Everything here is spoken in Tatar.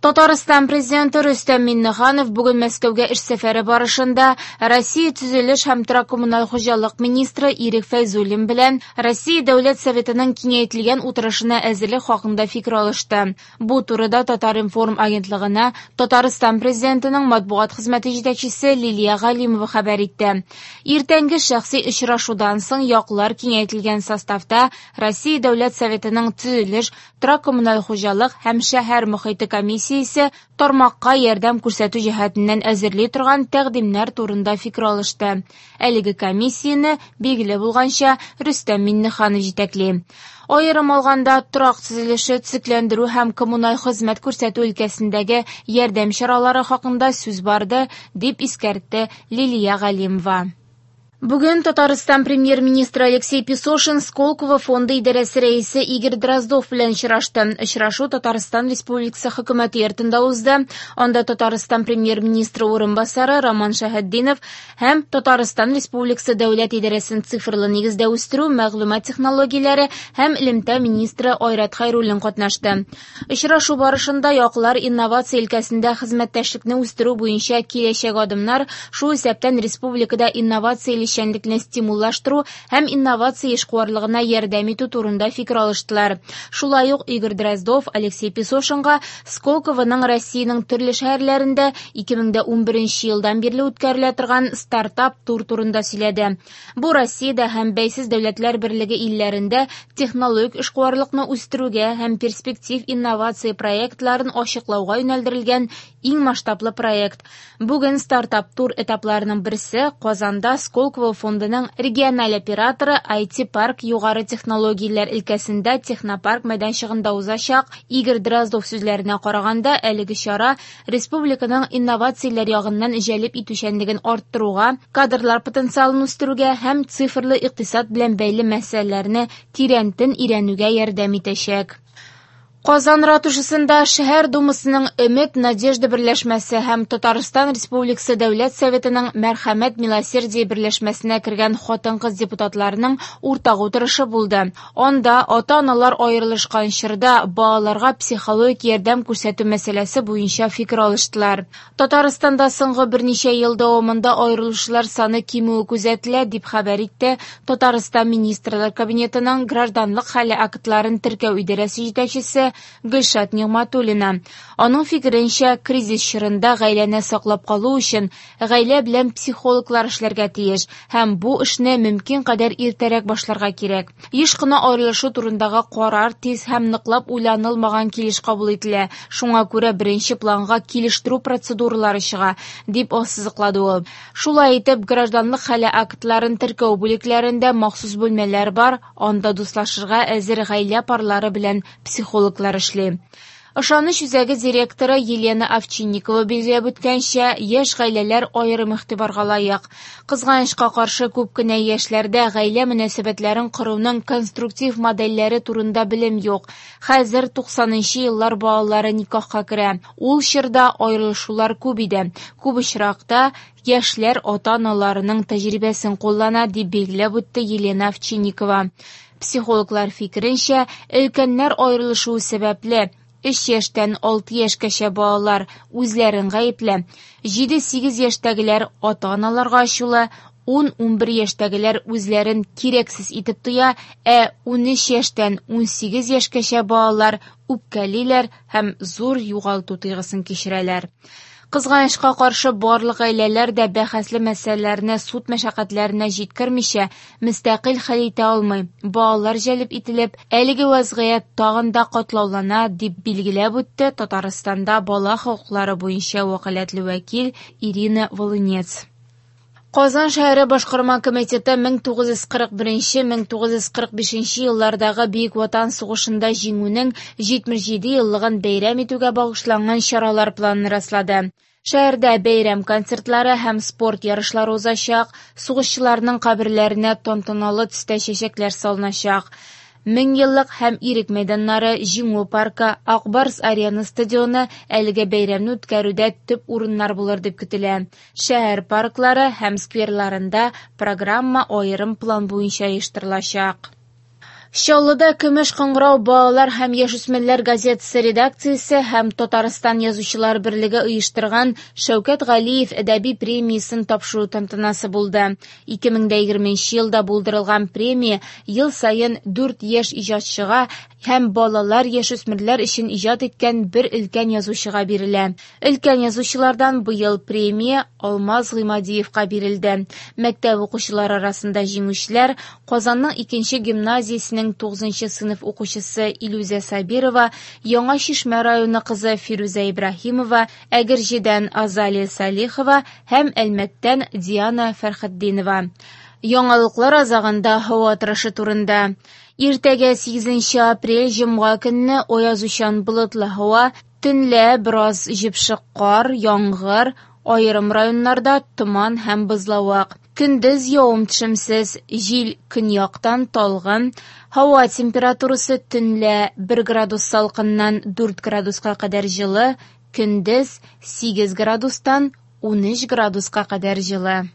Татарстан Президенты Рөстәм Миңнеханов бүген Мәскәүгә эш сәфәре барышында Россия төзелеш һәм торак-коммуналь хуҗалык министры Ирек Фәйзуллин белән Россия Дәүләт Советының киңәйтелгән утырышына әзерлек хакында фикер алышты. Бу турыда Татар-информ агентлыгына Татарстан Президентының матбугат хезмәте җитәкчесе Лилия Галимова хәбәр итте. Иртәнге шәхси очрашудан соң яклар киңәйтелгән составта Россия Дәүләт Советының төзелеш, торак-коммуналь хуҗалык һәм шәһәр мохите комиссиясе тармакка ярдәм күрсәтү җәһәтеннән әзерли торган тәкъдимнәр турында фикер алышты. Әлеге комиссияне, билгеле булганча, Рөстәм Миңнеханов җитәкли. Аерым алганда, торак төзелеше, төзекләндерү һәм коммуналь хезмәт күрсәтү өлкәсендәге ярдәм чаралары хакында сүз барды, дип искәртте Лилия Галимова. Бүген Татарстан премьер-министры Алексей Песошин Сколково фонды идарәсе рәисе Игорь Дроздов белән очрашты. Очрашу Татарстан Республикасы хөкүмәте йортында узды. Анда Татарстан премьер-министры урынбасары Роман Шәһетдинов һәм Татарстан Республикасы дәүләт идарәсен цифрлы нигездә үстерү, мәгълүмат технологияләре һәм элемтә министры Айрат Хәйруллин катнашты. Очрашу барышында яклар инновация өлкәсендә хезмәттәшлекне үстерү буенча киләчәк адымнар, шул исәптән республикада инновацияле эшчәнлекне стимуллаштыру һәм инновация эшкуарлыгына ярдәм итү турында фикер алыштылар. Шулай ук Игорь Дроздов Алексей Песошинга Сколковоның Россиянең төрле шәһәрләрендә 2011 елдан бирле үткәрелә торган стартап-тур турында сөйләде. Бу Россиядә һәм Бәйсез дәүләтләр берлеге илләрендә технологик эшкуарлыкны үстерүгә һәм перспектив инновация проектларын ачыклауга юнәлдерелгән иң масштаблы проект. Бүген стартап-тур этапларының берсе Казанда Сколково фондының региональ операторы IT-парк югары технологияләр өлкәсендә технопарк мәйданчыгында узачак. Игорь Дроздов сүзләренә караганда, әлеге чара республиканың инновацияләр ягыннан җәлеп итүчәнлеген арттыруга, кадрлар потенциалын үстерүгә һәм цифрлы икътисад белән бәйле мәсьәләләрне тирәнтен өйрәнүгә ярдәм итәчәк. Казан ратушасында шәһәр думасының Өмет Надежда берләшмәсе һәм Татарстан Республикасы Дәүләт Советының Мәрхәмәт Милосердие берләшмәсенә кергән хатын-кыз депутатларының уртак утырышы булды. Анда ата-аналар аерылышкан чорда балаларга психологик ярдәм күрсәтү мәсьәләсе буенча фикер алыштылар. Татарстанда соңгы берничә ел дәвамында аерылышулар саны кимүе күзәтелә, дип хәбәр итте Татарстан Министрлар Кабинетының гражданлык хәле актларын теркәү идарәсе җитәкчесе Гөлшат Нигъматуллина. Аның фикеренчә, кризис чорында гаиләне саклап калу өчен гаилә белән психологлар эшләргә тиеш һәм бу эшне мөмкин кадәр иртәрәк башларга кирәк. Еш кына аерылышу турындагы карар тиз һәм ныклап уйланылмаган килеш кабул ителә. Шуңа күрә беренче планга килештерү процедуралары чыга, дип ассызыклады ул. Шулай итеп, гражданлык хәле актларын теркәү бүлекләрендә махсус бүлмәләр бар, анда дуслашырга әзер гаилә парлары белән психологлар эшли. Ышаныч үзәге директоры Елена Овчинникова билгеләп үткәнчә, яшь гаиләләр аерым игътибарга лаек. Кызганычка каршы, күп кенә яшьләрдә гаилә мөнәсәбәтләрен коруның конструктив модельләре турында белем юк. Хәзер 90 еллар балалары никахка керә. Ул чорда аерылышулар күп иде. Күп очракта яшьләр ата-аналарының тәҗрибәсен куллана, дип билгеләп үтте Елена Овчинникова. Психологлар фикеренчә, өлкәннәр аерылышуы сәбәпле 3 яшьтән 6 яшькәчә балалар үзләрен гаепле, 7-8 яшьтәгеләр ата-аналарга ачулы, 10-11 яшьтәгеләр үзләрен кирәксез итеп тоя, ә 13 яшьтән 18 яшькәчә балалар үпкәлиләр һәм зур югалту тойгысын кичерәләр. Кызганычка каршы, барлык гаиләләр дә бәхәсле мәсьәләләрне суд мәшәкатьләренә җиткермичә, мөстәкыйль хәл итә алмый. Балалар җәлеп ителеп, әлеге вазгыять тагын да катлаулана, дип билгеләп үтте Татарстанда бала хокуклары буенча вәкаләтле вәкил Ирина Волынец. Казан шәһәре башкарма комитеты 1941-1945 еллардагы Бөек Ватан сугышында җиңүнең 77 еллыгын бәйрәм итүгә багышланган чаралар планын раслады. Шәһәрдә бәйрәм концертлары һәм спорт ярышлары узачак, сугышчыларның каберләренә тантаналы төстә чәчәкләр салыначак. Меңьеллык һәм Ирек мәйданнары, Җиңү паркы, Ак Барс Арена стадионы әлеге бәйрәмне үткәрүдә төп урыннар булыр дип көтелә. Шәһәр парклары һәм скверларында программа аерым план буенча оештырылачак. Чаллыда «Көмеш кыңгырау» балалар һәм яшүсмерләр газетасы редакциясе һәм Татарстан Язучылар берлеге оештырган Шәүкәт Галиев әдәби премиясен тапшыру тантанасы булды. 2020 елда булдырылган премия ел саен 4 яшь иҗатчыга һәм балалар-яшүсмерләр өчен иҗат иткән бер өлкән язучыга бирелә. Өлкән язучылардан быел премия Алмаз Гыймадиевка бирелде. Мәктәп укучылары арасында җиңүчеләр Казанның 2нче гимназиясенең 9нчы сыйныф укучысы Илүзә Сабирова, Яңа Чишмә районы кызы Фирүзә Ибраһимова, Әгерҗедән Азалия Салихова һәм Әлмәттән Диана Фәрхетдинова. Яңалыклар азагында һава торышы турында. Иртәгә 8 апрель җомга көнне аязучан болытлы һава, төнлә бераз җепшек кар, яңгыр, аерым районнарда томан һәм бозлавык. Көндез явым-төшемсез, җил көньяктан талгын, һава температурасы төнлә 1 градус салкыннан 4 градуска кадәр җылы, көндез 8 градустан 13 градуска кадәр җылы.